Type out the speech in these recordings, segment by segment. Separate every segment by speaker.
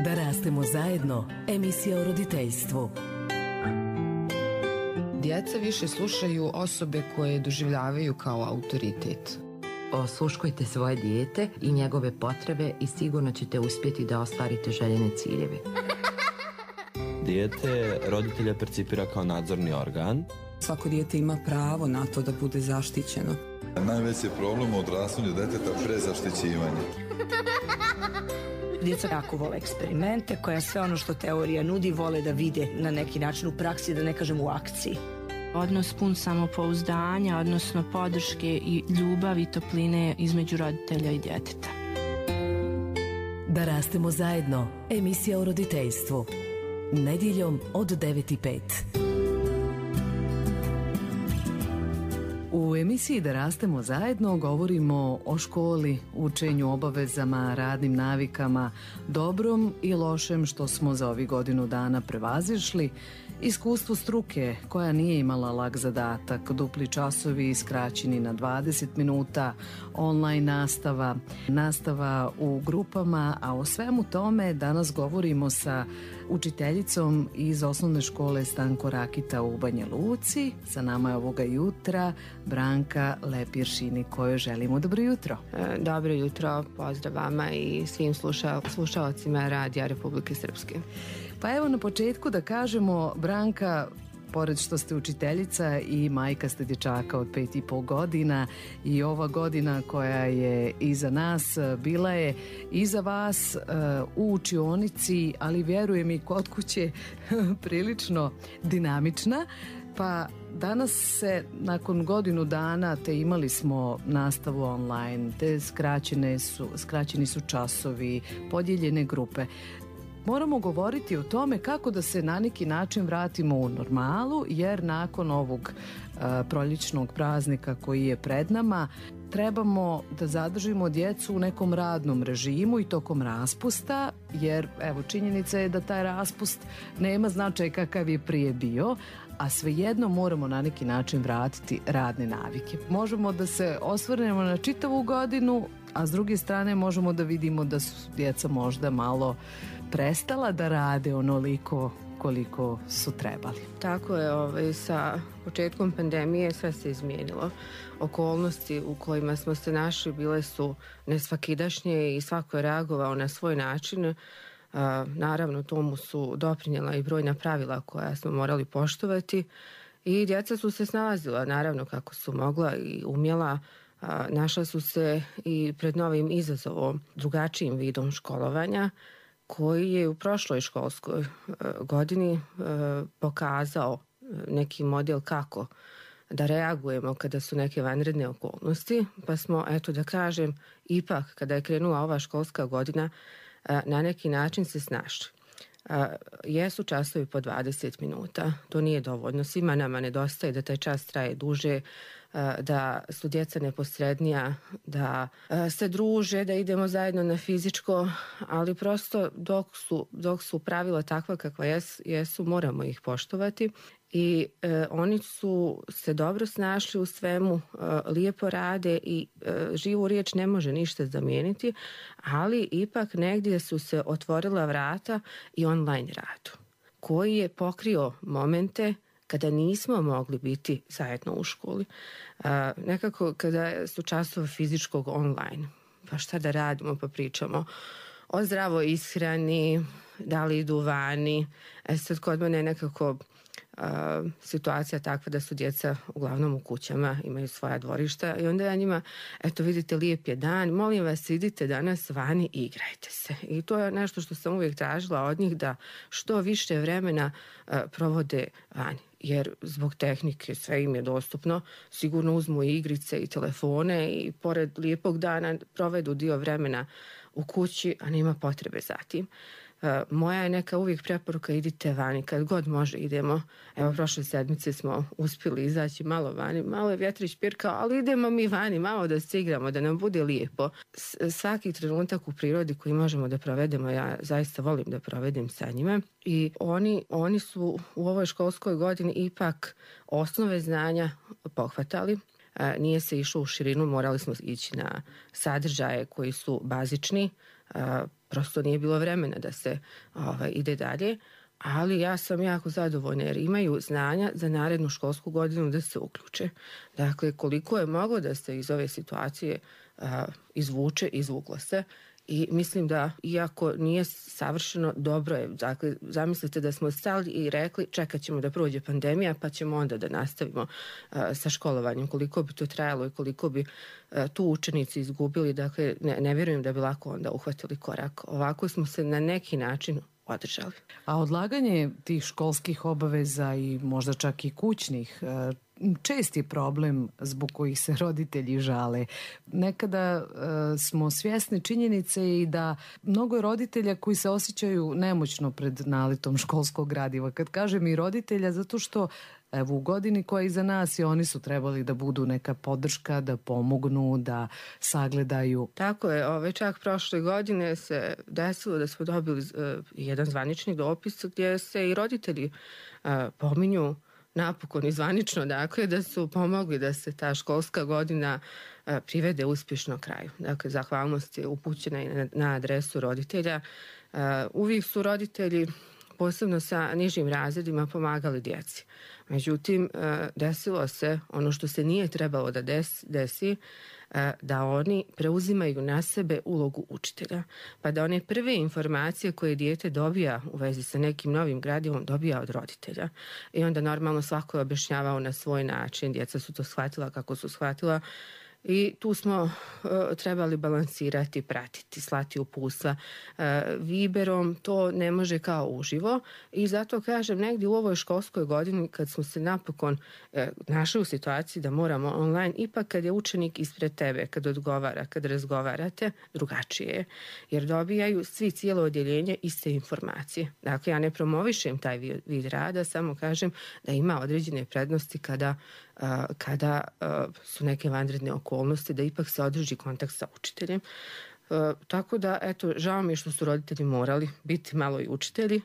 Speaker 1: Da rastemo zajedno, emisija o roditeljstvu.
Speaker 2: Djeca više slušaju osobe koje doživljavaju kao autoritet.
Speaker 3: Osluškujte svoje dijete i njegove potrebe i sigurno ćete uspjeti da ostvarite željene ciljeve.
Speaker 4: Dijete roditelja percipira kao nadzorni organ.
Speaker 5: Svako dijete ima pravo na to da bude zaštićeno.
Speaker 6: Najveći problem u odrastanju djeteta prezaštićivanje.
Speaker 7: Djeca jako vole eksperimente, koja sve ono što teorija nudi vole da vide na neki način u praksi, da ne kažem u akciji.
Speaker 8: Odnos pun samopouzdanja, odnosno podrške i ljubavi i topline između roditelja i djeteta.
Speaker 1: Da rastemo zajedno, emisija o roditeljstvu. Nedjeljom od 9:05.
Speaker 9: U emisiji Da rastemo zajedno govorimo o školi, učenju, obavezama, radnim navikama, dobrom i lošem što smo za ovih godinu dana prevazišli, iskustvu struke koja nije imala lak zadatak, dupli časovi skraćeni na 20 minuta, online nastava, nastava u grupama, a o svemu tome danas govorimo sa učiteljicom iz osnovne škole Stanko Rakita u Banja Luci. Sa nama je ovoga jutra Branka Lepiršini, kojoj želimo dobro jutro.
Speaker 10: Dobro jutro, pozdrav vama i svim slušalcima Radija Republike Srpske.
Speaker 9: Pa evo na početku da kažemo, Branka, pored što ste učiteljica i majka ste dječaka od 5,5 godina i ova godina koja je iza nas bila je iza vas u učionici, ali vjerujem i kod kuće prilično dinamična. Pa danas se nakon godinu dana te imali smo nastavu online, te skraćeni su časovi, podijeljene grupe. Moramo govoriti o tome kako da se na neki način vratimo u normalu, jer nakon ovog proljećnog praznika koji je pred nama trebamo da zadržimo djecu u nekom radnom režimu i tokom raspusta, jer evo činjenica je da taj raspust nema značaj kakav je prije bio, a svejedno moramo na neki način vratiti radne navike. Možemo da se osvrnemo na čitavu godinu, a s druge strane možemo da vidimo da su djeca možda malo prestala da rade onoliko koliko su trebali.
Speaker 10: Tako je, sa početkom pandemije sve se izmijenilo. Okolnosti u kojima smo se našli bile su nesvakidašnje i svako je reagovao na svoj način. Naravno, tomu su doprinijela i brojna pravila koja smo morali poštovati i djeca su se snalazila, naravno, kako su mogla i umjela. Našla su se i pred novim izazovom, drugačijim vidom školovanja, koji je u prošloj školskoj godini pokazao neki model kako da reagujemo kada su neke vanredne okolnosti, pa smo, eto da kažem, ipak kada je krenula ova školska godina, na neki način se snašli. Jesu časovi po 20 minuta, to nije dovoljno, svima nama nedostaje da taj čas traje duže, da su djeca neposrednija, da se druže, da idemo zajedno na fizičko, ali prosto dok su pravila takva kakva jesu, moramo ih poštovati i oni su se dobro snašli u svemu, lijepo rade i živu riječ ne može ništa zamijeniti, ali ipak negdje su se otvorila vrata i online radu, koji je pokrio momente kada nismo mogli biti zajedno u školi. Nekako kada su časovi fizičkog online, pa šta da radimo, pa pričamo o zdravoj ishrani, da li idu vani. Sad kod mene je nekako situacija takva da su djeca uglavnom u kućama, imaju svoja dvorišta i onda ja njima, eto vidite, lijep je dan, molim vas idite danas vani i igrajte se. I to je nešto što sam uvijek tražila od njih, da što više vremena provode vani. Jer zbog tehnike sve im je dostupno, sigurno uzmu i igrice i telefone i pored lijepog dana provedu dio vremena u kući, a nema potrebe za tim. Moja je neka uvijek preporuka, idite vani, kad god može idemo. Evo, prošle sedmice smo uspjeli izaći malo vani, malo je vjetrić pirkao, ali idemo mi vani, malo da se igramo, da nam bude lijepo. Svaki trenutak u prirodi koji možemo da provedemo, ja zaista volim da provedem sa njima. I oni su u ovoj školskoj godini ipak osnove znanja pohvatali. Nije se išlo u širinu, morali smo ići na sadržaje koji su bazični, prosto nije bilo vremena da se ide dalje, ali ja sam jako zadovoljna jer imaju znanja za narednu školsku godinu da se uključe. Dakle, koliko je moglo da se iz ove situacije izvuče, izvuklo se. I mislim da, iako nije savršeno, dobro je. Dakle, zamislite da smo stali i rekli čekat ćemo da prođe pandemija pa ćemo onda da nastavimo sa školovanjem. Koliko bi to trajalo i koliko bi tu učenici izgubili, dakle, ne vjerujem da bi lako onda uhvatili korak. Ovako smo se na neki način održali.
Speaker 9: A odlaganje tih školskih obaveza i možda čak i kućnih čest je problem zbog kojih se roditelji žale. Nekada smo svjesni činjenice i da mnogo je roditelja koji se osjećaju nemoćno pred naletom školskog gradiva. Kad kažem i roditelja, zato što evo u godini koja je iza nas i oni su trebali da budu neka podrška, da pomognu, da sagledaju.
Speaker 10: Tako je, čak prošle godine se desilo da smo dobili jedan zvanični dopis gdje se i roditelji pominju napokon i zvanično, dakle, da su pomogli da se ta školska godina privede uspješno kraju. Dakle, zahvalnost je upućena i na adresu roditelja. Uvijek su roditelji, posebno sa nižim razredima, pomagali djeci. Međutim, desilo se ono što se nije trebalo da desi, da oni preuzimaju na sebe ulogu učitelja. Pa da one prve informacije koje dijete dobija u vezi sa nekim novim gradivom dobija od roditelja. I onda normalno svako je objašnjavao na svoj način. Djeca su to shvatila kako su shvatila. I tu smo trebali balansirati, pratiti, slati uputstva. Viberom to ne može kao uživo i zato kažem negdje u ovoj školskoj godini kad smo se napokon našli u situaciji da moramo online, ipak kad je učenik ispred tebe, kad odgovara, kad razgovarate, drugačije je. Jer dobijaju svi, cijelo odjeljenje, iste informacije. Dakle, ja ne promovišem taj vid rada, samo kažem da ima određene prednosti kada su neke vanredne okolnosti, da ipak se održi kontakt sa učiteljem. Tako da, eto, žao mi je što su roditelji morali biti malo i učitelji.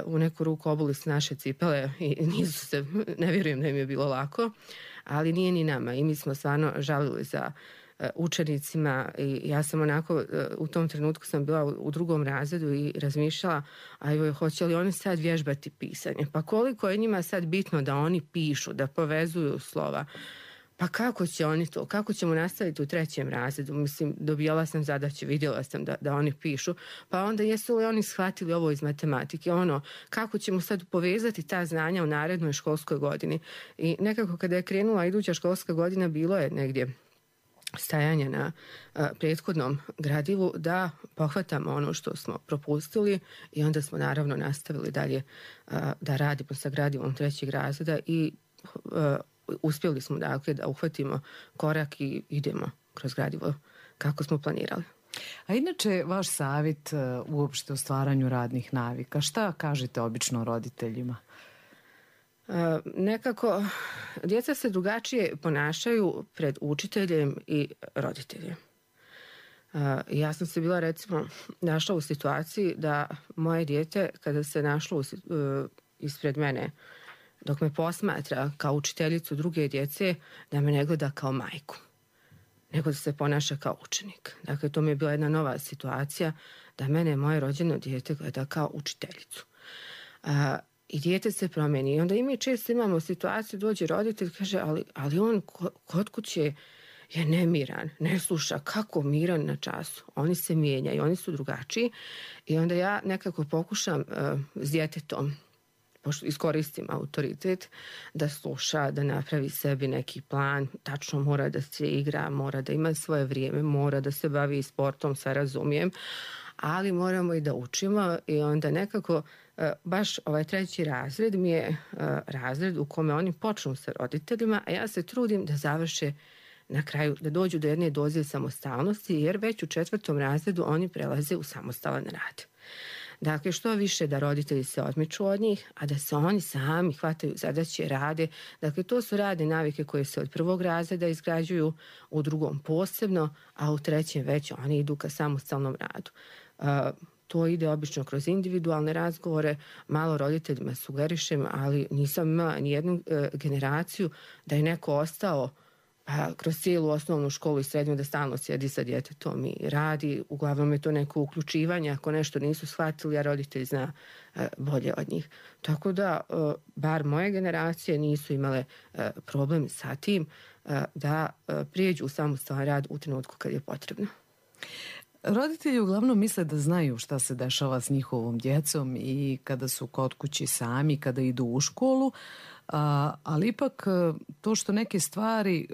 Speaker 10: U neku ruku obuli su naše cipele i nisu se, ne vjerujem da im je bilo lako, ali nije ni nama. I mi smo stvarno žalili za učenicima i ja sam onako, u tom trenutku sam bila u 2. razredu i razmišljala, hoće li oni sad vježbati pisanje? Pa koliko je njima sad bitno da oni pišu, da povezuju slova? Pa kako će oni to? Kako ćemo nastaviti u 3. razredu? Mislim, dobijala sam zadaće, vidjela sam da oni pišu. Pa onda jesu li oni shvatili ovo iz matematike? Kako ćemo sad povezati ta znanja u narednoj školskoj godini? I nekako kada je krenula iduća školska godina, bilo je negdje stajanje na prethodnom gradivu da pohvatamo ono što smo propustili i onda smo naravno nastavili dalje da radimo sa gradivom 3. razreda i uspjeli smo dakle da uhvatimo korak i idemo kroz gradivo kako smo planirali.
Speaker 9: A inače, vaš savjet uopšte o stvaranju radnih navika, šta kažete obično roditeljima?
Speaker 10: Nekako, djeca se drugačije ponašaju pred učiteljem i roditeljem. Ja sam se bila, recimo, našla u situaciji da moje dijete, kada se našlo ispred mene, dok me posmatra kao učiteljicu druge djece, da me ne gleda kao majku, nego da se ponaša kao učenik. Dakle, to mi je bila jedna nova situacija, da mene moje rođeno dijete gleda kao učiteljicu. I dijete se promeni. I onda i mi često imamo situaciju, dođe roditelj, kaže, ali on kod kuće je nemiran, ne sluša, kako miran na času. Oni se mijenjaju, oni su drugačiji. I onda ja nekako pokušam s djetetom, pošto iskoristim autoritet, da sluša, da napravi sebi neki plan, tačno mora da se igra, mora da ima svoje vrijeme, mora da se bavi sportom, sve razumijem, ali moramo i da učimo i onda nekako baš ovaj 3. razred mi je razred u kome oni počnu sa roditeljima, a ja se trudim da završe na kraju, da dođu do jedne doze samostalnosti, jer već u 4. razredu oni prelaze u samostalan rad. Dakle, što više da roditelji se odmiču od njih, a da se oni sami hvataju zadaće, rade. Dakle, to su radne navike koje se od 1. razreda izgrađuju, u 2. posebno, a u 3. već oni idu ka samostalnom radu. To ide obično kroz individualne razgovore, malo roditeljima sugerišem, ali nisam imala ni jednu generaciju da je neko ostao kroz cijelu osnovnu školu i srednju da stalno sjedi sa djetetom i radi. Uglavnom je to neko uključivanje ako nešto nisu shvatili, a roditelj zna bolje od njih. Tako da, bar moje generacije nisu imale problem sa tim da prijeđu u samostalan rad u trenutku kad je potrebno.
Speaker 9: Roditelji uglavnom misle da znaju šta se dešava s njihovom djecom i kada su kod kući sami, kada idu u školu, ali ipak to što neke stvari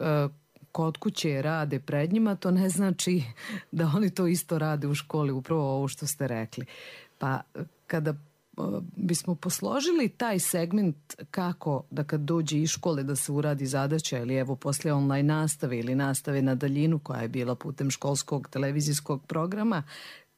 Speaker 9: kod kuće rade pred njima, to ne znači da oni to isto rade u školi, upravo ovo što ste rekli. Pa kada bismo posložili taj segment kako da kad dođe iz škole da se uradi zadaća ili evo poslije online nastave ili nastave na daljinu koja je bila putem školskog televizijskog programa,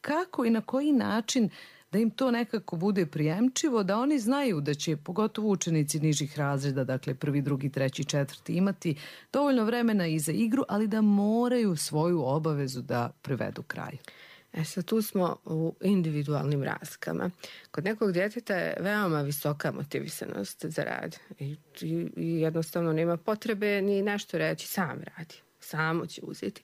Speaker 9: kako i na koji način da im to nekako bude prijemčivo, da oni znaju da će, pogotovo učenici nižih razreda, dakle 1., 2., 3., 4. imati dovoljno vremena i za igru, ali da moraju svoju obavezu da privedu kraju.
Speaker 10: Sad tu smo u individualnim razlikama. Kod nekog djeteta je veoma visoka motivisanost za rad i jednostavno nema potrebe ni nešto reći, sam radi, samo će uzeti.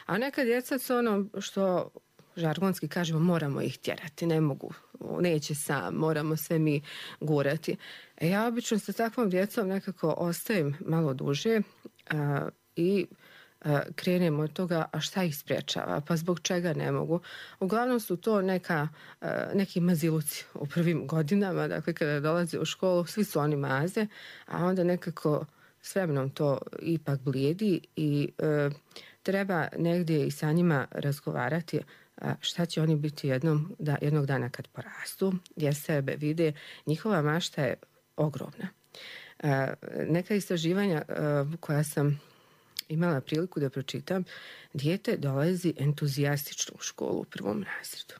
Speaker 10: A neka djeca su ono što žargonski kažemo, moramo ih tjerati, ne mogu, neće sam, moramo sve mi gurati. Ja obično sa takvom djecom nekako ostajem malo duže i krenemo od toga, a šta ih sprječava, pa zbog čega ne mogu. Uglavnom su to neki maziluci u prvim godinama, dakle kada dolaze u školu, svi su oni maze, a onda nekako s vremenom to ipak blijedi i treba negdje i sa njima razgovarati šta će oni biti jednog dana kad porastu, gdje sebe vide. Njihova mašta je ogromna. Neka istraživanja koja sam imala priliku da pročitam, dijete dolazi entuzijastično u školu u 1. razredu.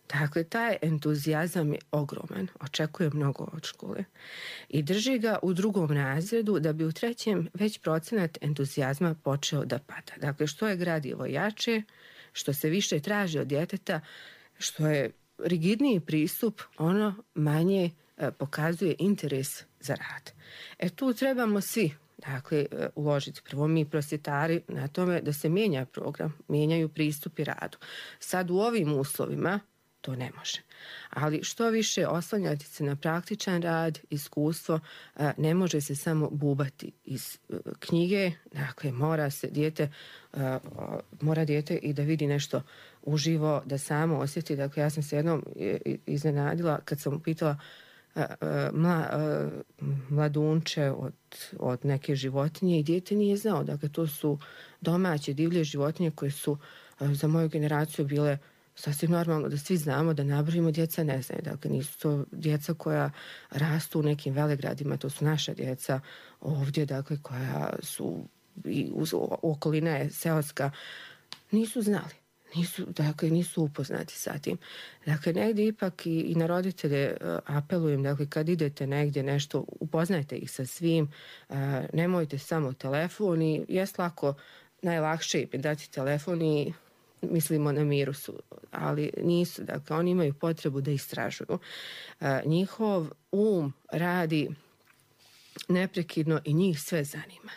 Speaker 10: Dakle, taj entuzijazam je ogroman, očekuje mnogo od škole i drži ga u 2. razredu da bi u 3. već procenat entuzijazma počeo da pada. Dakle, što je gradivo jače, što se više traži od djeteta, što je rigidniji pristup, ono manje pokazuje interes za rad. Tu trebamo svi uložiti. Prvo mi prosvjetari na tome da se mijenja program, mijenjaju pristupi radu. Sad u ovim uslovima to ne može. Ali što više oslanjati se na praktičan rad, iskustvo, ne može se samo bubati iz knjige, dakle mora dijete i da vidi nešto uživo, da samo osjeti. Dakle, ja sam se jednom iznenadila kad sam pitala mladunče od neke životinje i dijete nije znao. Dakle, to su domaće divlje životinje koje su za moju generaciju bile sasvim normalno da svi znamo, da nabrojimo, djeca ne znaju. Dakle, nisu to djeca koja rastu u nekim velegradima, to su naša djeca ovdje, dakle, koja su okolina je seoska, nisu znali. Nisu upoznati sa tim. Dakle, negdje ipak i na roditelje apelujem, dakle, kad idete negdje nešto, upoznajte ih sa svim, nemojte samo telefon i jest lako, najlakše im dati telefon i mislimo na miru su, ali nisu. Dakle, oni imaju potrebu da istražuju. Njihov radi neprekidno i njih sve zanima.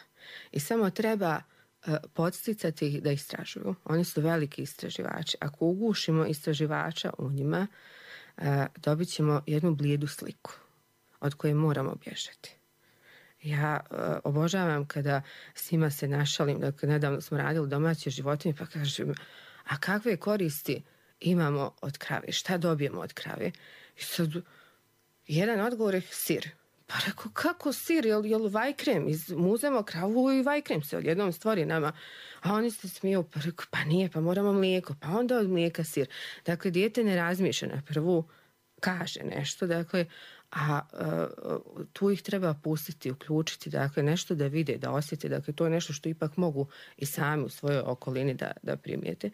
Speaker 10: I samo treba podsticati ih da istražuju. Oni su veliki istraživači. Ako ugušimo istraživača u njima, dobit ćemo jednu blijedu sliku od koje moramo bježati. Ja obožavam kada s njima se našalim, dakle, nedavno smo radili domaće životinje, pa kažem, a kakve koristi imamo od krave? Šta dobijemo od krave? I sad, jedan odgovor je sir. Pa rekao, kako sir, jel vajkrem? Muzemo kravu i vajkrem se odjednom stvori nama. A oni se smiju, pa rekao, pa nije, pa moramo mlijeko, pa onda od mlijeka sir. Dakle, dijete ne razmišlja na prvu, kaže nešto, dakle, a tu ih treba pustiti, uključiti, dakle, nešto da vide, da osjete, dakle, to je nešto što ipak mogu i sami u svojoj okolini da primijete.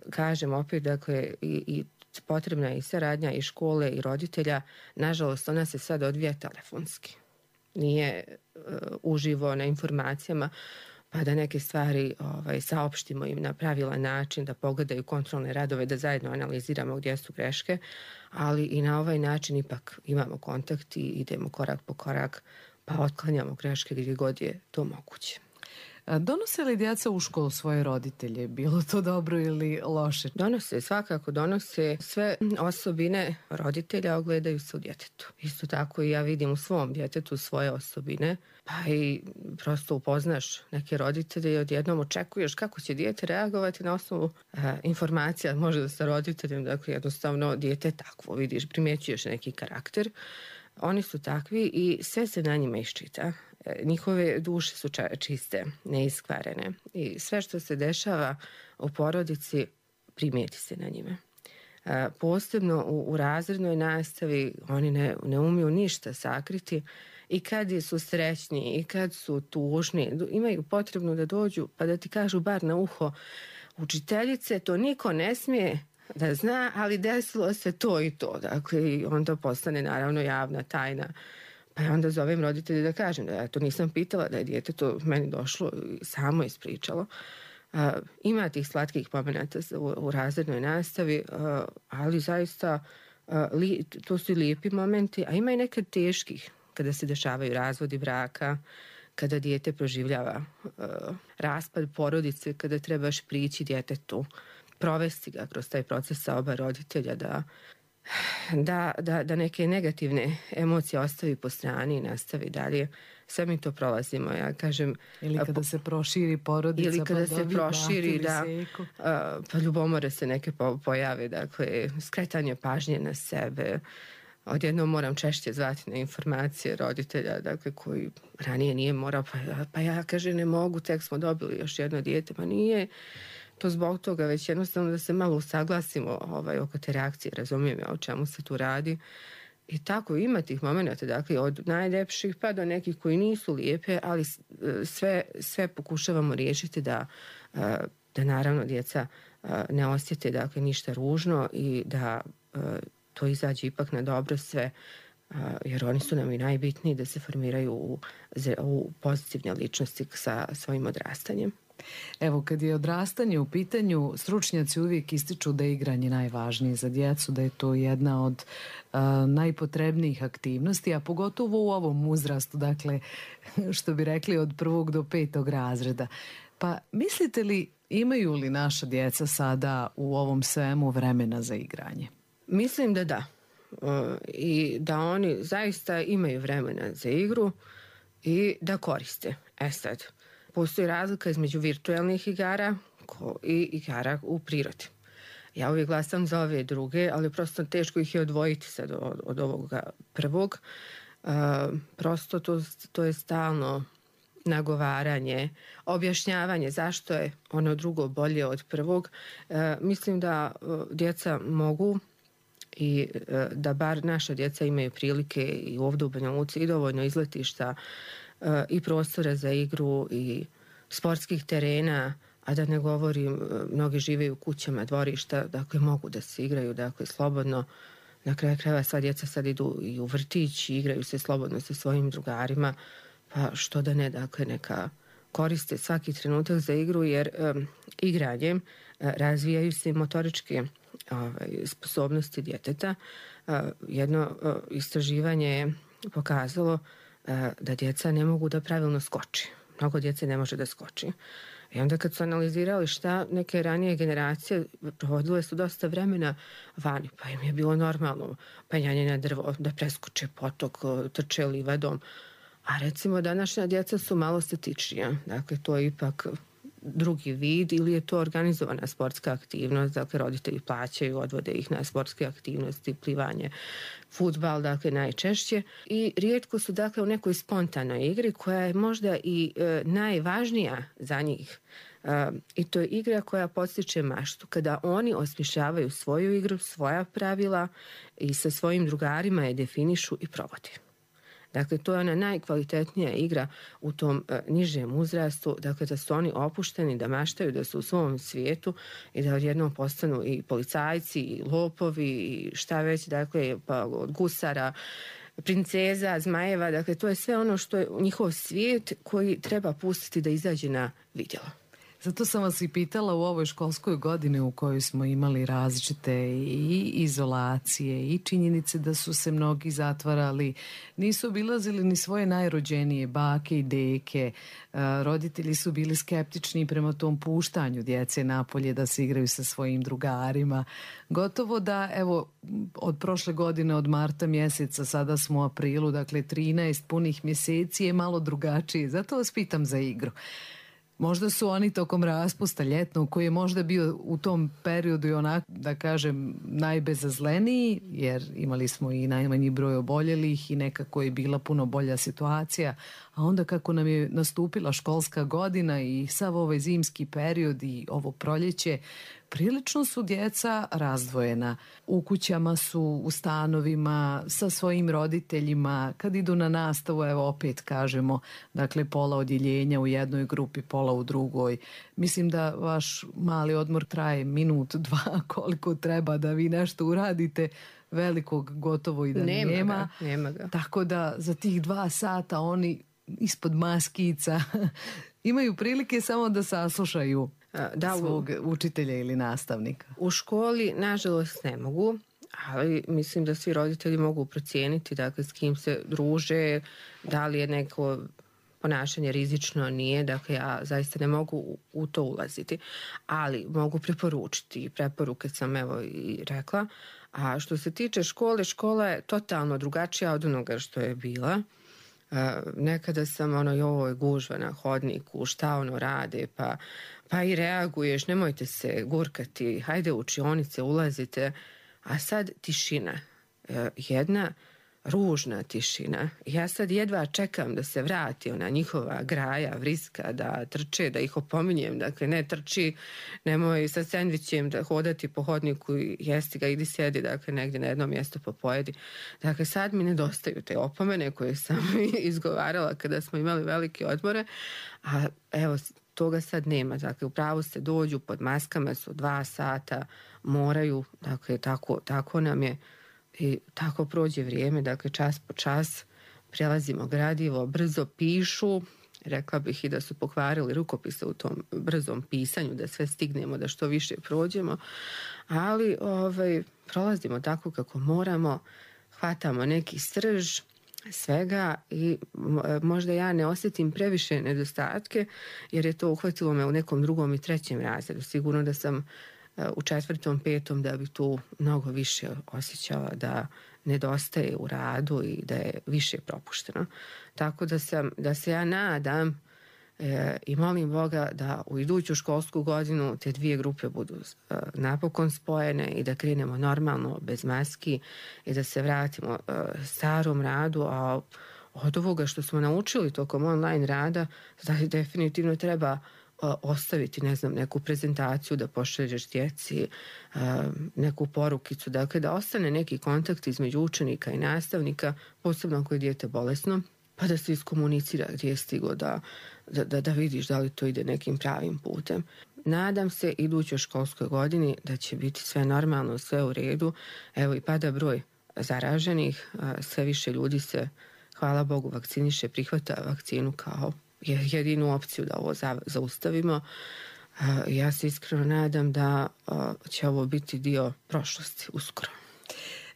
Speaker 10: Kažem opet, dakle, i potrebna je i saradnja i škole i roditelja. Nažalost, ona se sad odvija telefonski. Nije uživo na informacijama, pa da neke stvari saopštimo im na pravilan način, da pogledaju kontrolne radove, da zajedno analiziramo gdje su greške, ali i na ovaj način ipak imamo kontakt i idemo korak po korak, pa otklanjamo greške gdje god je to moguće.
Speaker 9: Donose li djeca u školu svoje roditelje? Bilo to dobro ili loše?
Speaker 10: Donose, svakako donose. Sve osobine roditelja ogledaju se u djetetu. Isto tako i ja vidim u svom djetetu svoje osobine, pa i prosto upoznaš neke roditelje i odjednom očekuješ kako će dijete reagovati na osnovu informacija, možda sa roditeljem, dakle jednostavno dijete je takvo, vidiš, primjećuješ neki karakter. Oni su takvi i sve se na njima iščita. Njihove duše su čiste, neiskvarene i sve što se dešava u porodici primijeti se na njime. Posebno u razrednoj nastavi oni ne umiju ništa sakriti i kad su srećni i kad su tužni, imaju potrebno da dođu pa da ti kažu bar na uho: učiteljice, to niko ne smije da zna, ali desilo se to i to. Dakle, i onda postane naravno javna tajna. Pa ja onda zovem roditelje da kažem da ja to nisam pitala, da je dijete to meni došlo i samo ispričalo. Ima tih slatkih momenata u razrednoj nastavi, ali zaista to su i lijepi momenti, a ima i nekad teških, kada se dešavaju razvodi braka, kada dijete proživljava raspad porodice, kada trebaš prići djetetu, provesti ga kroz taj proces sa oba roditelja da neke negativne emocije ostavi po strani i nastavi dalje. Sve mi to prolazimo, ja kažem.
Speaker 9: Ili kada se proširi porodica,
Speaker 10: ili kada
Speaker 9: pa
Speaker 10: se proširi, pa ljubomore se neke pojave, dakle, skretanje pažnje na sebe. Odjednom moram češće zvati na informacije roditelja, dakle, koji ranije nije morao, pa ja kaže ne mogu, tek smo dobili još jedno dijete, pa nije to zbog toga, već jednostavno da se malo usaglasimo oko te reakcije, razumijem ja o čemu se tu radi. I tako ima tih momenta, dakle, od najljepših pa do nekih koji nisu lijepe, ali sve pokušavamo riješiti da naravno djeca ne osjete, dakle, ništa ružno i da to izađe ipak na dobro sve, jer oni su nam i najbitniji da se formiraju u pozitivne ličnosti sa svojim odrastanjem.
Speaker 9: Evo, kad je odrastanje u pitanju, stručnjaci uvijek ističu da je igranje najvažnije za djecu, da je to jedna od najpotrebnijih aktivnosti, a pogotovo u ovom uzrastu, dakle, što bi rekli od 1. do 5. razreda. Pa mislite li, imaju li naša djeca sada u ovom svemu vremena za igranje?
Speaker 10: Mislim da da. I da oni zaista imaju vremena za igru i da koriste. Sad, postoji razlika između virtualnih igara i igara u prirodi. Ja uvijek glasam za ove druge, ali prosto teško ih je odvojiti sad od ovoga prvog. Prosto to je stalno nagovaranje, objašnjavanje zašto je ono drugo bolje od prvog. Mislim da djeca mogu i da bar naša djeca imaju prilike i ovdje u Banja Luci i dovoljno izletišta i prostora za igru i sportskih terena, a da ne govorim, mnogi žive u kućama, dvorišta, dakle mogu da se igraju, dakle slobodno. Na kraju krajeva sva djeca sad idu i u vrtić i igraju se slobodno sa svojim drugarima, pa što da ne, dakle neka koriste svaki trenutak za igru, jer igranjem razvijaju se motoričke sposobnosti djeteta. Jedno istraživanje je pokazalo da djeca ne mogu da pravilno skoči. Mnogo djece ne može da skoči. I onda kad su analizirali šta neke ranije generacije, provodile su dosta vremena vani, pa im je bilo normalno penjanje na drvo, da preskoče potok, trče livadom. A recimo današnja djeca su malo statičnija. Dakle, to je ipak drugi vid ili je to organizovana sportska aktivnost, dakle roditelji plaćaju, odvode ih na sportske aktivnosti, plivanje, fudbal, dakle najčešće. I rijetko su dakle u nekoj spontanoj igri koja je možda i najvažnija za njih. I to je igra koja podstiče maštu. Kada oni osmišljavaju svoju igru, svoja pravila i sa svojim drugarima je definišu i provode. Dakle, to je ona najkvalitetnija igra u tom nižem uzrastu, dakle da su oni opušteni, da maštaju, da su u svom svijetu i da odjednom postanu i policajci, i lopovi, i šta već, dakle, pa od gusara, princeza, zmajeva, dakle to je sve ono što je njihov svijet koji treba pustiti da izađe na vidjelo.
Speaker 9: Zato sam vas i pitala u ovoj školskoj godini u kojoj smo imali različite i izolacije i činjenice da su se mnogi zatvarali, nisu obilazili ni svoje najrođenije bake i deke, roditelji su bili skeptični prema tom puštanju djece napolje da se igraju sa svojim drugarima. Gotovo da, evo, od prošle godine, od marta mjeseca, sada smo u aprilu, dakle 13 punih mjeseci je malo drugačije. Zato vas pitam za igru. Možda su oni tokom raspusta ljetnog, koji je možda bio u tom periodu i onak, da kažem, najbezazleniji, jer imali smo i najmanji broj oboljelih i nekako je bila puno bolja situacija, a onda kako nam je nastupila školska godina i sav ovaj zimski period i ovo proljeće, prilično su djeca razdvojena. U kućama su, u stanovima, sa svojim roditeljima. Kad idu na nastavu, evo opet kažemo, dakle pola odjeljenja u jednoj grupi, pola u drugoj. Mislim da vaš mali odmor traje minut, dva, koliko treba da vi nešto uradite. Velikog gotovo i da nema.
Speaker 10: Nema ga.
Speaker 9: Tako da za tih 2 sata oni ispod maskica imaju prilike samo da saslušaju svog učitelja ili nastavnika.
Speaker 10: U školi, nažalost, ne mogu, ali mislim da svi roditelji mogu procijeniti, dakle, s kim se druže, da li je neko ponašanje rizično, nije, dakle, ja zaista ne mogu u to ulaziti, ali mogu preporučiti. Preporuke sam, evo, i rekla. A što se tiče škole, škola je totalno drugačija od onoga što je bila. Nekada sam joj, gužva na hodniku, šta ono rade, pa i reaguješ, nemojte se gurkati, hajde u učionice, ulazite, a sad tišina, jedna ružna tišina. Ja sad jedva čekam da se vrati ona njihova graja, vriska, da trče, da ih opominjem, dakle ne trči, nemoj sa sendvičem da hodati po hodniku i jesti ga, idi sjedi, dakle negdje na jedno mjesto pa pojedi. Dakle sad mi nedostaju te opomene koje sam izgovarala kada smo imali velike odmore, a evo toga sad nema, dakle upravo se dođu pod maskama, su 2 sata, moraju, dakle tako nam je. I tako prođe vrijeme, dakle čas po čas prelazimo gradivo, brzo pišu, rekla bih i da su pokvarili rukopise u tom brzom pisanju, da sve stignemo, da što više prođemo, ali prolazimo tako kako moramo, hvatamo neki srž svega i možda ja ne osjetim previše nedostatke, jer je to uhvatilo me u nekom 2. i 3. razredu. Sigurno da sam u 4., 5. da bi tu mnogo više osjećala da nedostaje u radu i da je više propušteno. Tako da se ja nadam i molim Boga da u iduću školsku godinu te 2 grupe budu napokon spojene i da krenemo normalno, bez maski i da se vratimo starom radu, a od ovoga što smo naučili tokom online rada, znači definitivno treba ostaviti, ne znam, neku prezentaciju da pošalješ djeci, neku porukicu, dakle da ostane neki kontakt između učenika i nastavnika, posebno ako je dijete bolesno, pa da se iskomunicira gdje je stigo, da vidiš da li to ide nekim pravim putem. Nadam se idućoj školskoj godini da će biti sve normalno, sve u redu. Evo i pada broj zaraženih, sve više ljudi se, hvala Bogu, vakciniše, prihvata vakcinu kao jedinu opciju da ovo zaustavimo. Ja se iskreno nadam da će ovo biti dio prošlosti uskoro.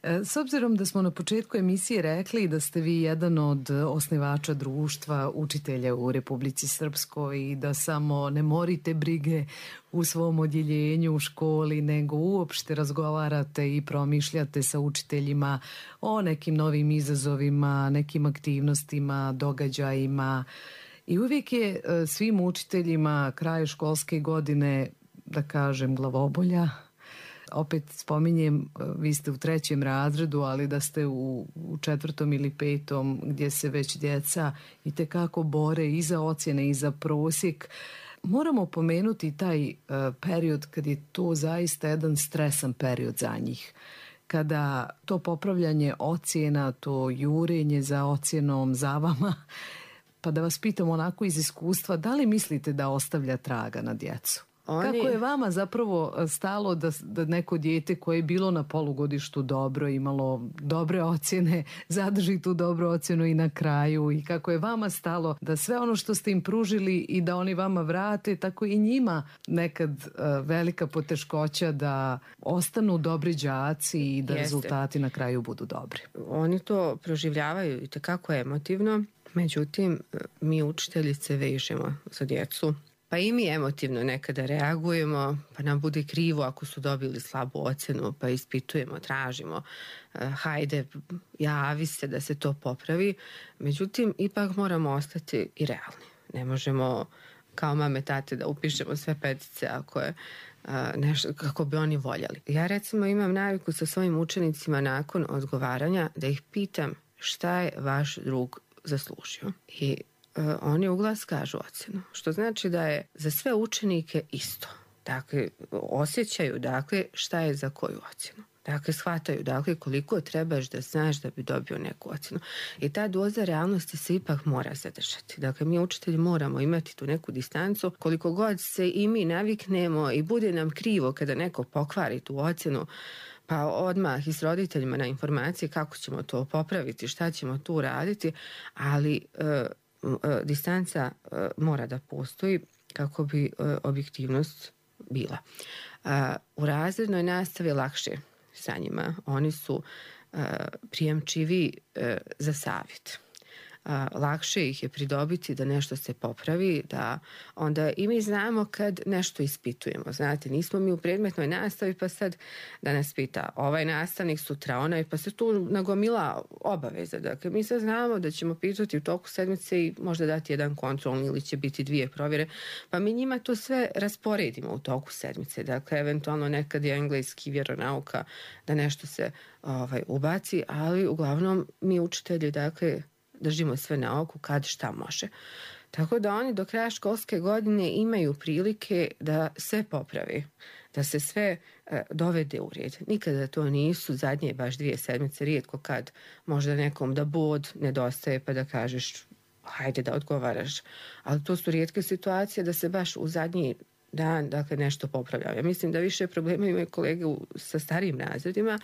Speaker 9: S obzirom da smo na početku emisije rekli da ste vi jedan od osnivača društva učitelja u Republici Srpskoj i da samo ne morite brige u svom odjeljenju u školi, nego uopšte razgovarate i promišljate sa učiteljima o nekim novim izazovima, nekim aktivnostima, događajima. I uvijek je svim učiteljima kraj školske godine, da kažem, glavobolja. Opet spominjem, vi ste u 3. razredu, ali da ste u 4. ili 5. gdje se već djeca itekako bore i za ocjene i za prosjek. Moramo pomenuti taj period kad je to zaista jedan stresan period za njih. Kada to popravljanje ocjena, to jurenje za ocjenom, za vama, pa da vas pitam onako iz iskustva, da li mislite da ostavlja traga na djecu? Kako je vama zapravo stalo da neko dijete koje je bilo na polugodištu dobro, imalo dobre ocjene, zadrži tu dobru ocjenu i na kraju, i kako je vama stalo da sve ono što ste im pružili i da oni vama vrate, tako i njima nekad velika poteškoća da ostanu dobri đaci i da rezultati na kraju budu dobri.
Speaker 10: Oni to proživljavaju i tekako emotivno, međutim mi učiteljice vežemo za djecu. Pa i mi emotivno nekada reagujemo, pa nam bude krivo ako su dobili slabu ocjenu, pa ispitujemo, tražimo, hajde, javi se da se to popravi. Međutim, ipak moramo ostati i realni. Ne možemo kao mame, tate da upišemo sve petice ako je nešto kako bi oni voljeli. Ja recimo imam naviku sa svojim učenicima nakon odgovaranja da ih pitam šta je vaš drug zaslužio. I oni uglas kažu ocjenu, što znači da je za sve učenike isto. Dakle, osjećaju šta je za koju ocjenu. Dakle, shvataju koliko trebaš da znaš da bi dobio neku ocjenu. I ta doza realnosti se ipak mora zadržati. Dakle, mi učitelji moramo imati tu neku distancu. Koliko god se i mi naviknemo i bude nam krivo kada neko pokvari tu ocjenu, pa odmah i s roditeljima na informacije kako ćemo to popraviti, šta ćemo tu raditi, ali distanca mora da postoji kako bi objektivnost bila. U razrednoj nastavi lakše sa njima. Oni su prijemčivi za savjet. Lakše ih je pridobiti da nešto se popravi, da onda i mi znamo kad nešto ispitujemo. Znate, nismo mi u predmetnoj nastavi pa sad da nas pita ovaj nastavnik, sutra onaj, pa se tu nagomila obaveza. Dakle, mi sad znamo da ćemo pitati u toku sedmice i možda dati jedan kontrolni ili će biti 2 provjere, pa mi njima to sve rasporedimo u toku sedmice. Dakle, eventualno nekad je engleski, vjeronauka, da nešto se ubaci, ali uglavnom mi učitelji, držimo sve na oku kad šta može. Tako da oni do kraja školske godine imaju prilike da sve popravi, da se sve dovede u red. Nikada to nisu zadnje baš 2 sedmice, rijetko kad možda nekom da bod nedostaje pa da kažeš hajde da odgovaraš. Ali to su rijetke situacije da se baš u zadnji dan nešto popravlja. Ja mislim da više problema imaju kolege sa starijim razredima,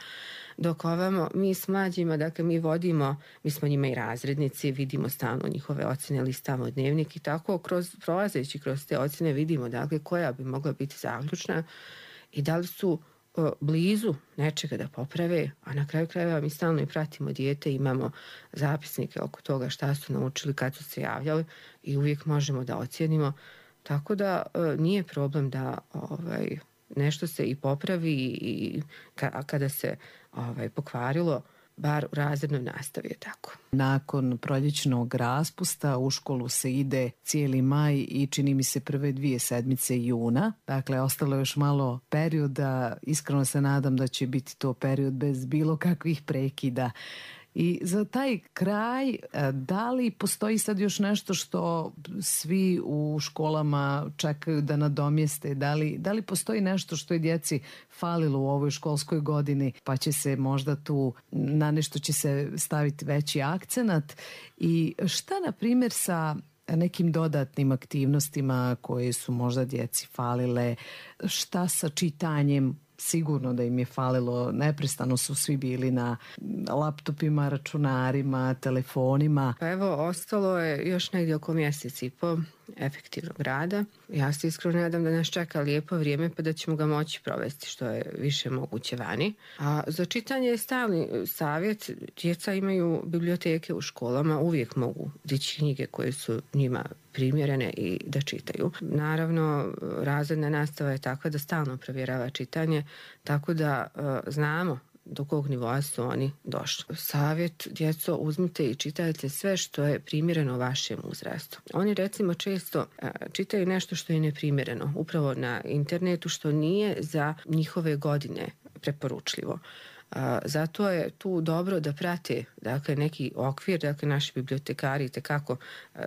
Speaker 10: dok ovamo mi s mlađima, mi vodimo, mi smo njima i razrednici, vidimo stalno njihove ocjene, listamo dnevnik i tako prolazeći kroz te ocjene vidimo koja bi mogla biti zaključna i da li su blizu nečega da poprave, a na kraju krajeva mi stalno i pratimo dijete, imamo zapisnike oko toga šta su naučili, kad su se javljali i uvijek možemo da ocjenimo. Tako da nije problem da nešto se i popravi i kada se pokvarilo, bar u razrednoj nastavi je tako.
Speaker 9: Nakon proljećnog raspusta u školu se ide cijeli maj i čini mi se prve 2 sedmice juna. Dakle, ostalo je još malo perioda. Iskreno se nadam da će biti to period bez bilo kakvih prekida. I za taj kraj, da li postoji sad još nešto što svi u školama čekaju da nadomjeste? Da li postoji nešto što je djeci falilo u ovoj školskoj godini, pa će se možda tu na nešto će se staviti veći akcenat? I šta, na primjer, sa nekim dodatnim aktivnostima koje su možda djeci falile? Šta sa čitanjem? Sigurno da im je falilo, neprestano su svi bili na laptopima, računarima, telefonima.
Speaker 10: Pa evo, ostalo je još negdje oko mjesec i po efektivnog rada. Ja se iskreno nadam da nas čeka lijepo vrijeme pa da ćemo ga moći provesti što je više moguće vani. A za čitanje je stalni savjet. Djeca imaju biblioteke u školama, uvijek mogu dići knjige koje su njima primjerene i da čitaju. Naravno, razredna nastava je takva da stalno provjerava čitanje, tako da znamo do kog nivoa su oni došli. Savjet, djeco, uzmite i čitajte sve što je primjereno vašem uzrastu. Oni recimo često čitaju nešto što je neprimjereno, upravo na internetu, što nije za njihove godine preporučljivo. Zato je tu dobro da prate neki okvir, naši bibliotekari itekako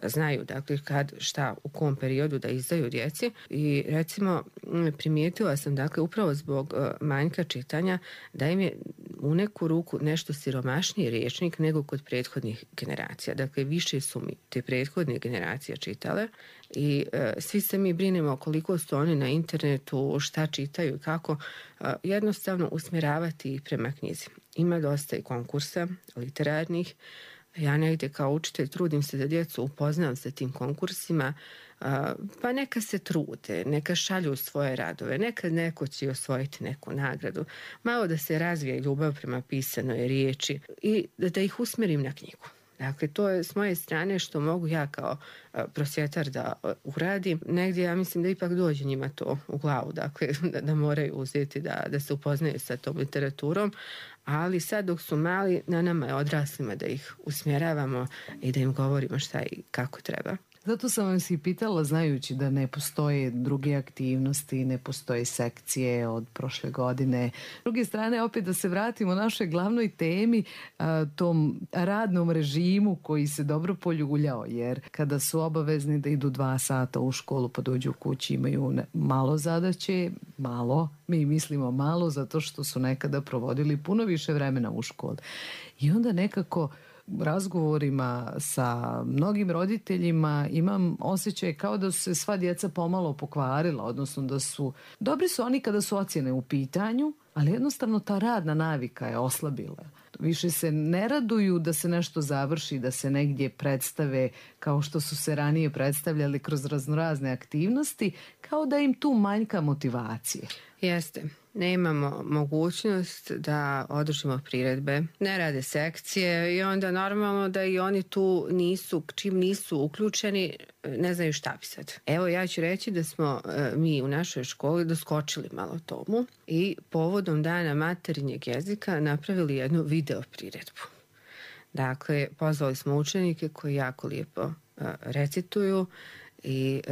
Speaker 10: znaju kad, šta, u kom periodu da izdaju djeci i recimo primijetila sam upravo zbog manjka čitanja da im je u neku ruku nešto siromašniji rječnik nego kod prethodnih generacija. Dakle, više su mi te prethodne generacije čitale i svi se mi brinemo koliko su oni na internetu, šta čitaju i kako, jednostavno usmjeravati ih prema knjizi. Ima dosta i konkursa literarnih. Ja negdje kao učitelj trudim se da djecu upoznam sa tim konkursima, pa neka se trude, neka šalju svoje radove, nekad neko će osvojiti neku nagradu, malo da se razvije ljubav prema pisanoj riječi i da ih usmjerim na knjigu. Dakle, to je s moje strane što mogu ja kao prosvjetar da uradim. Negdje ja mislim da ipak dođe njima to u glavu, dakle, da moraju uzeti, da se upoznaju sa tom literaturom, ali sad dok su mali, na nama je odraslima da ih usmjeravamo i da im govorimo šta i kako treba.
Speaker 9: Zato sam vam si pitala, znajući da ne postoje druge aktivnosti, ne postoje sekcije od prošle godine. S druge strane, opet da se vratimo našoj glavnoj temi, tom radnom režimu koji se dobro poljuljao, jer kada su obavezni da idu 2 sata u školu pa dođu u kući, imaju malo zadaće, mi mislimo malo zato što su nekada provodili puno više vremena u školi. I onda nekako razgovorima sa mnogim roditeljima imam osjećaj kao da su se sva djeca pomalo pokvarila, odnosno dobri su oni kada su ocjene u pitanju, ali jednostavno ta radna navika je oslabila. Više se ne raduju da se nešto završi, da se negdje predstave kao što su se ranije predstavljali kroz raznorazne aktivnosti, kao da im tu manjka motivacije.
Speaker 10: Jeste. Nemamo mogućnost da održimo priredbe, ne rade sekcije i onda normalno da i oni tu čim nisu uključeni, ne znaju šta bi sad. Evo, ja ću reći da smo mi u našoj školi doskočili malo tomu i povodom Dana materinjeg jezika napravili jednu video priredbu. Dakle, pozvali smo učenike koji jako lijepo recituju i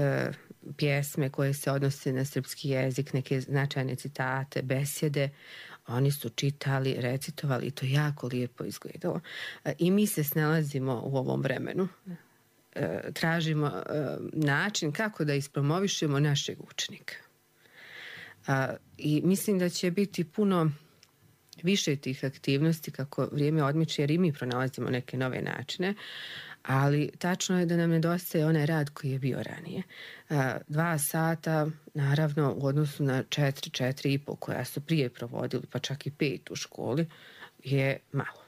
Speaker 10: pjesme koje se odnose na srpski jezik, neke značajne citate, besjede, oni su čitali, recitovali i to jako lijepo izgledalo. I mi se snalazimo u ovom vremenu. Tražimo način kako da ispromovišemo našeg učenika. I mislim da će biti puno više tih aktivnosti kako vrijeme odmiče, jer i mi pronalazimo neke nove načine, ali tačno je da nam nedostaje onaj rad koji je bio ranije. 2 sata, naravno, u odnosu na 4,5 koja su prije provodili, pa čak i 5 u školi, je malo.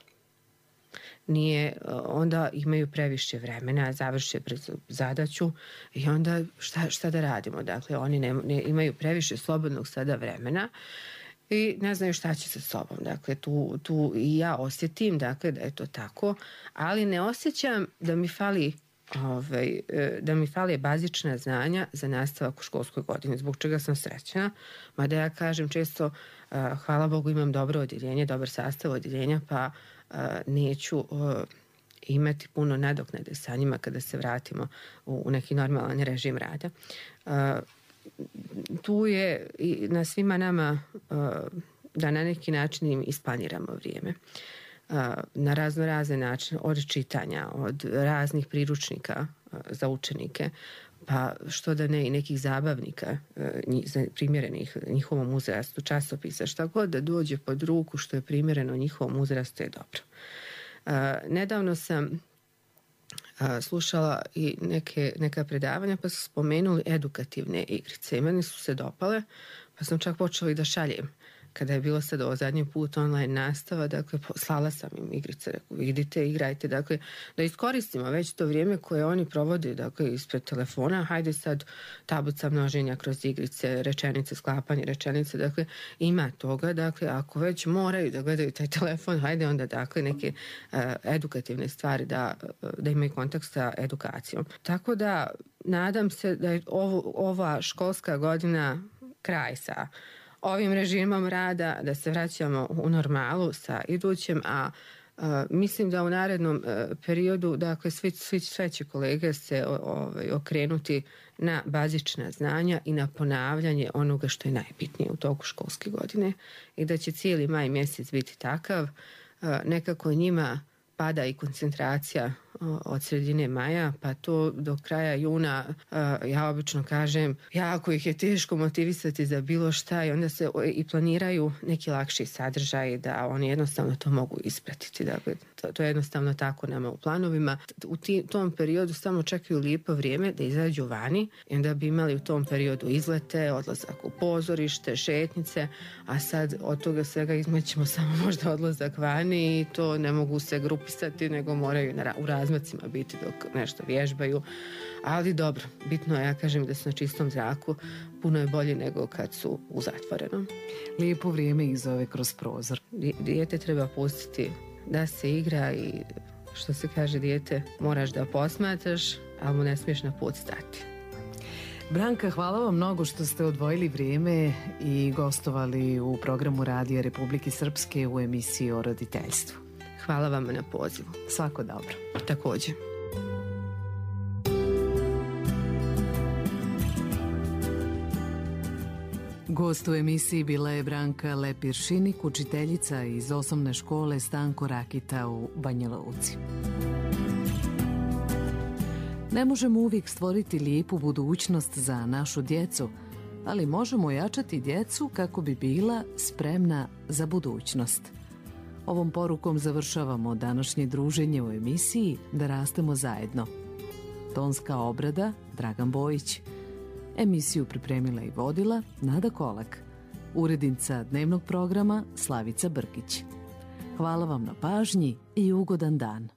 Speaker 10: Onda imaju previše vremena, završe zadaću i onda šta da radimo? Dakle, oni ne imaju previše slobodnog sada vremena i ne znaju šta će sa sobom. Dakle, tu i ja osjetim, dakle, da je to tako, ali ne osjećam da mi fali bazična znanja za nastavak u školskoj godini, zbog čega sam srećna. Mada ja kažem često, hvala Bogu, imam dobro odjeljenje, dobar sastav odjeljenja, pa neću imati puno nadoknade sa njima kada se vratimo u neki normalan režim rada. Tu je i na svima nama da na neki način im isplaniramo vrijeme. Na razne načine, od čitanja, od raznih priručnika za učenike, pa što da ne i nekih zabavnika primjerenih njihovom uzrastu, časopisa, šta god da dođe pod ruku što je primjereno njihovom uzrastu je dobro. Nedavno sam slušala i neka predavanja pa su spomenuli edukativne igrice i meni su se dopale, pa sam čak počela i da šaljem. Kada je bilo sad ovo zadnji put online nastava, dakle, slala sam im igrice, rekao, vidite, igrajte, dakle, da iskoristimo već to vrijeme koje oni provode, dakle, ispred telefona, hajde sad tablica množenja kroz igrice, rečenice, sklapanje rečenice, dakle, ima toga, dakle, ako već moraju da gledaju taj telefon, hajde onda, dakle, neke edukativne stvari da imaju kontakt sa edukacijom. Tako da, nadam se da je ova školska godina kraj sa ovim režimom rada, da se vraćamo u normalu sa idućem, a mislim da u narednom periodu, dakle, sve će kolege se okrenuti na bazična znanja i na ponavljanje onoga što je najbitnije u toku školske godine i da će cijeli maj mjesec biti takav, nekako njima pada i koncentracija od sredine maja, pa to do kraja juna, ja obično kažem, jako ih je teško motivisati za bilo šta i onda se i planiraju neki lakši sadržaj da oni jednostavno to mogu ispratiti. Dakle, to je jednostavno tako nama u planovima. U tom periodu samo čekaju lijepo vrijeme da izađu vani i onda bi imali u tom periodu izlete, odlazak u pozorište, šetnice, a sad od toga svega izmećemo samo možda odlazak vani i to ne mogu se grupisati, nego moraju u razmacima biti dok nešto vježbaju. Ali dobro, bitno je, ja kažem, da su na čistom zraku, puno je bolje nego kad su u zatvorenom.
Speaker 9: Lijepo vrijeme ih zove kroz prozor.
Speaker 10: Dijete treba pustiti da se igra i što se kaže, dijete moraš da posmatraš, ali mu ne smiješ na put stati.
Speaker 9: Branka, hvala vam mnogo što ste odvojili vrijeme i gostovali u programu Radija Republike Srpske u emisiji o roditeljstvu.
Speaker 10: Hvala vam na pozivu.
Speaker 9: Svako dobro.
Speaker 10: Također.
Speaker 9: Gost u emisiji bila je Branka Lepir-Šinik, učiteljica iz osnovne škole Stanko Rakita u Banja Luci. Ne možemo uvijek stvoriti lijepu budućnost za našu djecu, ali možemo ojačati djecu kako bi bila spremna za budućnost. Ovom porukom završavamo današnje druženje u emisiji Da rastemo zajedno. Tonska obrada Dragan Bojić. Emisiju pripremila i vodila Nada Kolak. Urednica dnevnog programa Slavica Brkić. Hvala vam na pažnji i ugodan dan.